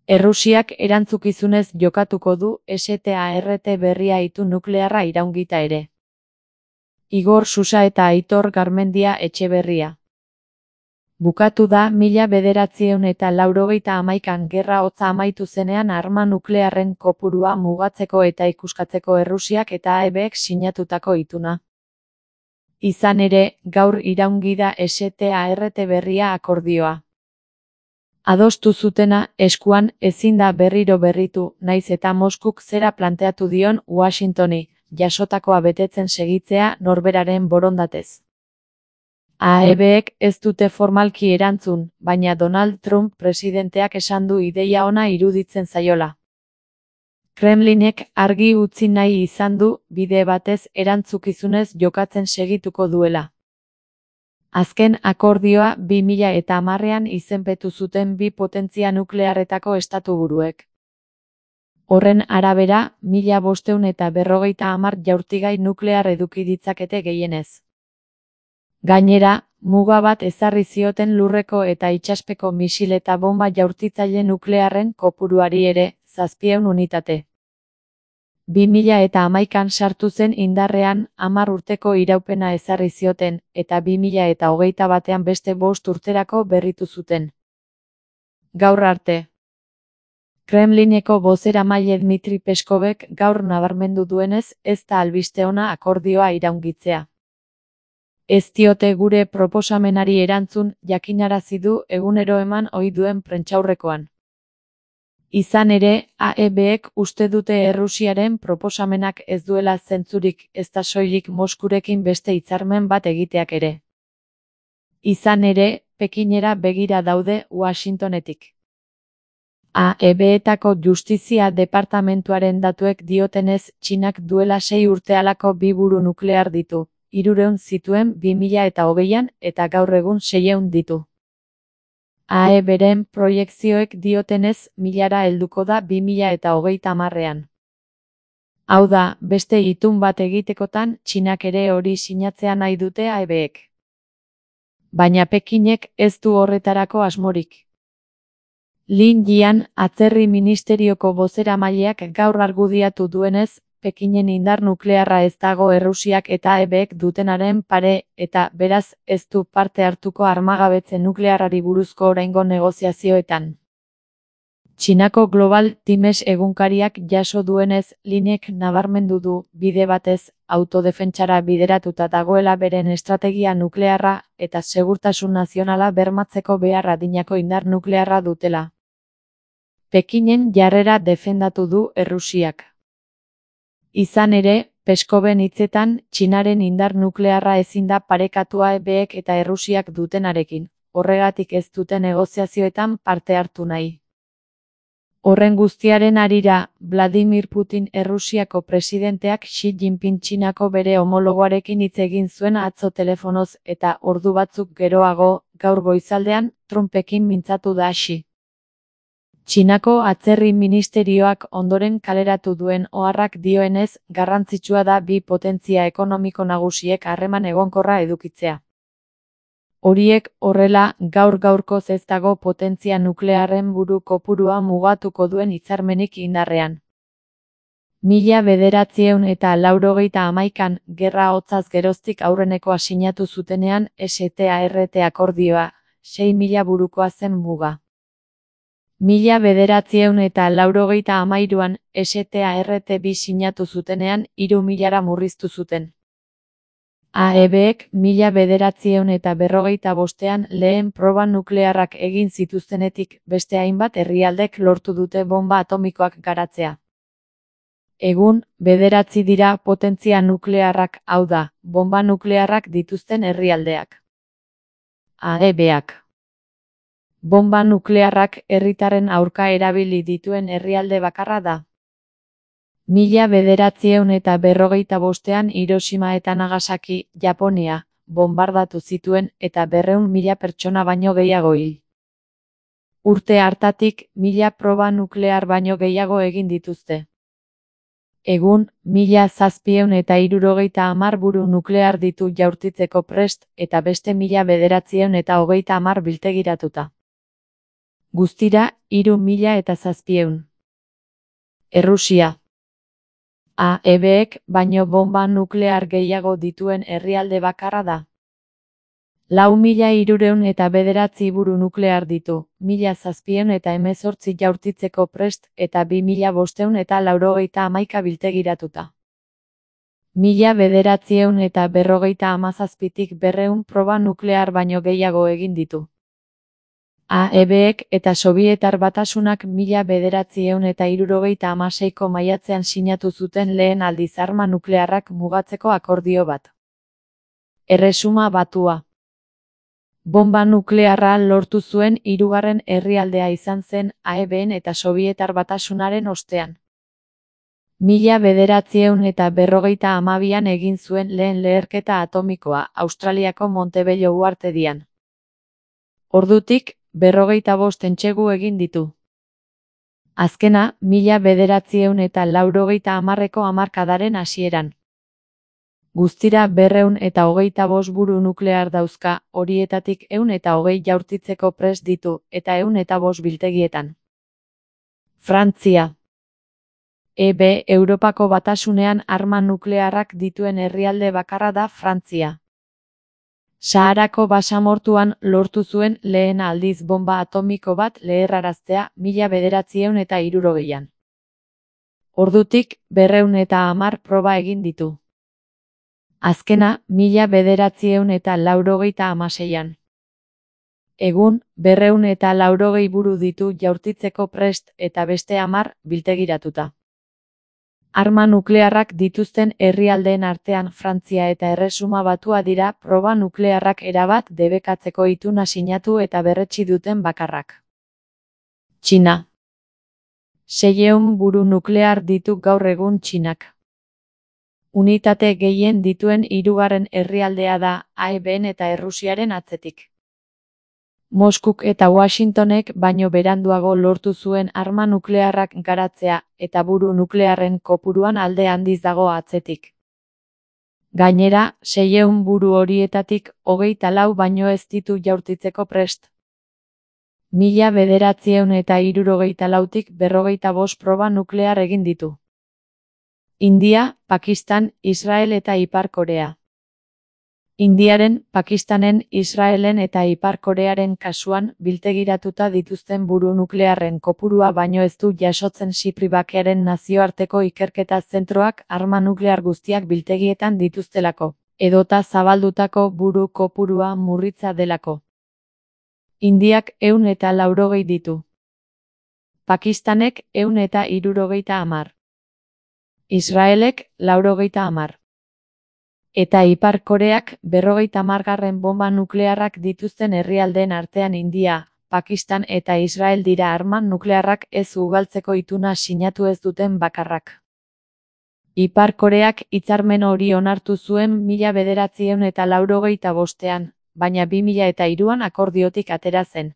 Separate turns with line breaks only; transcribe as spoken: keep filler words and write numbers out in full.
Errusiak erantzukizunez jokatuko du START berria itu nuklearra iraungita ere. Igor Susa eta Aitor Garmendia Etxeberria. Bukatu da mila bederatziehun eta laurogeita hamaikan gerra hotza amaitu zenean arma nuklearren kopurua mugatzeko eta ikuskatzeko Errusiak eta A E Bek sinatutako ituna. Izan ere, gaur iraungi da START berria akordioa. Adostu zutena eskuan ezin da berriro berritu, naiz eta Moskuk zera planteatu dion Washingtoni, jasotakoa betetzen segitzea norberaren borondatez. A E Bek ez dute formalki erantzun, baina Donald Trump presidenteak esan du ideia ona iruditzen zaiola. Kremlinek argi utzi nahi izan du bide batez erantzukizunez jokatzen segituko duela. Azken akordioa bi mila eta hamarrean izenpetu zuten bi potentzia nuklearretako estatuburuek. Horren arabera, mila bostehun eta berrogeita hamar jaurtigai nuklear eduki ditzakete gehienez. Gainera, muga bat ezarri zioten lurreko eta itsaspeko misil eta bomba jaurtitzaile nuklearren kopuruari ere, zazpiehun unitate. bi mila eta hamaikan sartu zen indarrean hamar urteko iraupena ezarri zioten, eta bi mila eta hogeita batean beste bost urterako berritu zuten. Gaur arte. Kremlineko bozeramaile Dmitri Peskovek gaur nabarmendu duenez ez da albiste ona akordioa iraungitzea. Ez diote gure proposamenari erantzun, jakinarazi du egunero eman ohi duen prentsaurrekoan. Izan ere, A E Bek uste dute Errusiaren proposamenak ez duela zentzurik, ez da soilik Moskurekin beste hitzarmen bat egiteak ere. Izan ere, Pekinera begira daude Washingtonetik. A E Betako Justizia Departamentuaren datuek diotenez, Txinak duela sei urte halako bi buru nuklear ditu, hirurehun zituen bi mila eta hogeian eta gaur egun seiehun ditu. A E Beren proiekzioek diotenez milara helduko da bi mila eta hogeita hamarrean. Hau da, beste itun bat egitekotan Txinak ere hori sinatzea nahi dute A E Bek. Baina Pekinek ez du horretarako asmorik. Lin Jian, atzerri ministerioko bozeramaileak gaur argudiatu duenez, Pekinen indar nuklearra ez dago Errusiak eta A E Bek dutenaren pare, eta beraz ez du parte hartuko armagabetze nuklearrari buruzko oraingo negoziazioetan. Txinako Global Times egunkariak jaso duenez, Linek nabarmendu du bide batez autodefentsara bideratuta dagoela beren estrategia nuklearra eta segurtasun nazionala bermatzeko behar adinako indar nuklearra dutela. Pekinen jarrera defendatu du Errusiak. Izan ere, Peskoven hitzetan, Txinaren indar nuklearra ezin da parekatu A E Bek eta Errusiak dutenarekin, horregatik ez dute negoziazioetan parte hartu nahi. Horren guztiaren harira, Vladimir Putin Errusiako presidenteak Xi Jinping Txinako bere homologoarekin hitz egin zuen atzo telefonoz eta ordu batzuk geroago, gaur goizaldean, Trumpekin mintzatu da Xi. Txinako atzerri ministerioak ondoren kaleratu duen oharrak dioenez, garrantzitsua da bi potentzia ekonomiko nagusiek harreman egonkorra edukitzea. Horiek horrela, gaur-gaurkoz ez dago potentzia nuklearren buru kopurua mugatuko duen hitzarmenik indarrean. Mila bederatziehun eta laurogeita hamaikan gerra hotzaz geroztik aurrenekoa sinatu zutenean START akordioa, sei mila burukoa zen muga. Mila bederatziehun eta laurogeita hamairuan START bi sinatu zutenean hiru milara murriztu zuten. A E Bek mila bederatziehun eta berrogeita bostean lehen proba nuklearrak egin zituztenetik beste hainbat herrialdek lortu dute bomba atomikoak garatzea. Egun, bederatzi dira potentzia nuklearrak, hau da, bomba nuklearrak dituzten herrialdeak. A E Bak. Bomba nuklearrak herritarren aurka erabili dituen herrialde bakarra da. Mila bederatziehun eta berrogeita bostean Hiroshima eta Nagasaki, Japonia, bombardatu zituen eta berrehun mila pertsona baino gehiago hil. Urte hartatik, mila proba nuklear baino gehiago egin dituzte. Egun, mila zazpiehun eta hirurogeita hamar buru nuklear ditu jaurtitzeko prest eta beste mila bederatziehun eta hogeita hamar biltegiratuta. Guztira, hiru mila eta zazpiehun. Errusia. A E Bek baino bonba nuklear gehiago dituen herrialde bakarra da. Lau mila hirurehun eta bederatzi buru nuklear ditu, mila zazpiehun eta hemezortzi jaurtitzeko prest eta bi mila bostehun eta laurogeita hamaika biltegiratuta. Mila bederatziehun eta berrogeita hamazazpitik berrehun proba nuklear baino gehiago egin ditu. A E Bek eta Sobietar Batasunak mila bederatziehun eta hirurogeita hamaseiko maiatzean sinatu zuten lehen aldiz arma nuklearrak mugatzeko akordio bat. Erresuma Batua. Bonba nuklearra lortu zuen hirugarren herrialdea izan zen A E Ben eta Sobietar Batasunaren ostean. Mila bederatziehun eta berrogeita hamabian egin zuen lehen leherketa atomikoa Australiako Montebello uhartedian. Ordutik, berrogeita bost entsegu egin ditu. Azkena, mila bederatziehun eta laurogeita hamarreko hamarkadaren hasieran. Guztira berrehun eta hogeita bost buru nuklear dauzka, horietatik ehun eta hogei jaurtitzeko prest ditu, eta ehun eta bost biltegietan. Frantzia. E B Europako Batasunean arma nuklearrak dituen herrialde bakarra da Frantzia. Saharako basamortuan lortu zuen lehen aldiz bonba atomiko bat leherraraztea mila bederatziehun eta hirurogeian. Ordutik, berrehun eta hamar proba egin ditu. Azkena, mila bederatziehun eta laurogeita hamaseian. Egun, berrehun eta laurogei buru ditu jaurtitzeko prest eta beste hamar biltegiratuta. Arma nuklearrak dituzten herrialdeen artean Frantzia eta Erresuma Batua dira proba nuklearrak erabat debekatzeko ituna sinatu eta berretsi duten bakarrak. Txina. Seiehun buru nuklear ditu gaur egun Txinak. Unitate gehien dituen hirugarren herrialdea da A E Ben eta Errusiaren atzetik. Moskuk eta Washingtonek baino beranduago lortu zuen arma nuklearrak garatzea eta buru nuklearren kopuruan alde handiz dago atzetik. Gainera, seiehun buru horietatik hogeita lau baino ez ditu jaurtitzeko prest. Mila bederatziehun eta hirurogeita lautik berrogeita bost proba nuklear egin ditu. India, Pakistan, Israel eta Ipar Korea. Indiaren, Pakistanen, Israelen eta Ipar Korearen kasuan biltegiratuta dituzten buru nuklearren kopurua baino ez du jasotzen Xipri Bakearen nazioarteko ikerketa zentroak arma nuklear guztiak biltegietan dituztelako, edota zabaldutako buru kopurua murritza delako. Indiak ehun eta laurogei ditu. Pakistanek ehun eta hirurogeita hamar. Israelek laurogeita hamar. Eta Ipar Koreak berrogeita hamargarren bonba nuklearrak dituzten herrialdeen artean India, Pakistan eta Israel dira arma nuklearrak ez ugaltzeko ituna sinatu ez duten bakarrak. Ipar Koreak hitzarmen hori onartu zuen mila bederatziehun eta laurogeita bostean, baina bi mila eta hiruan akordiotik atera zen.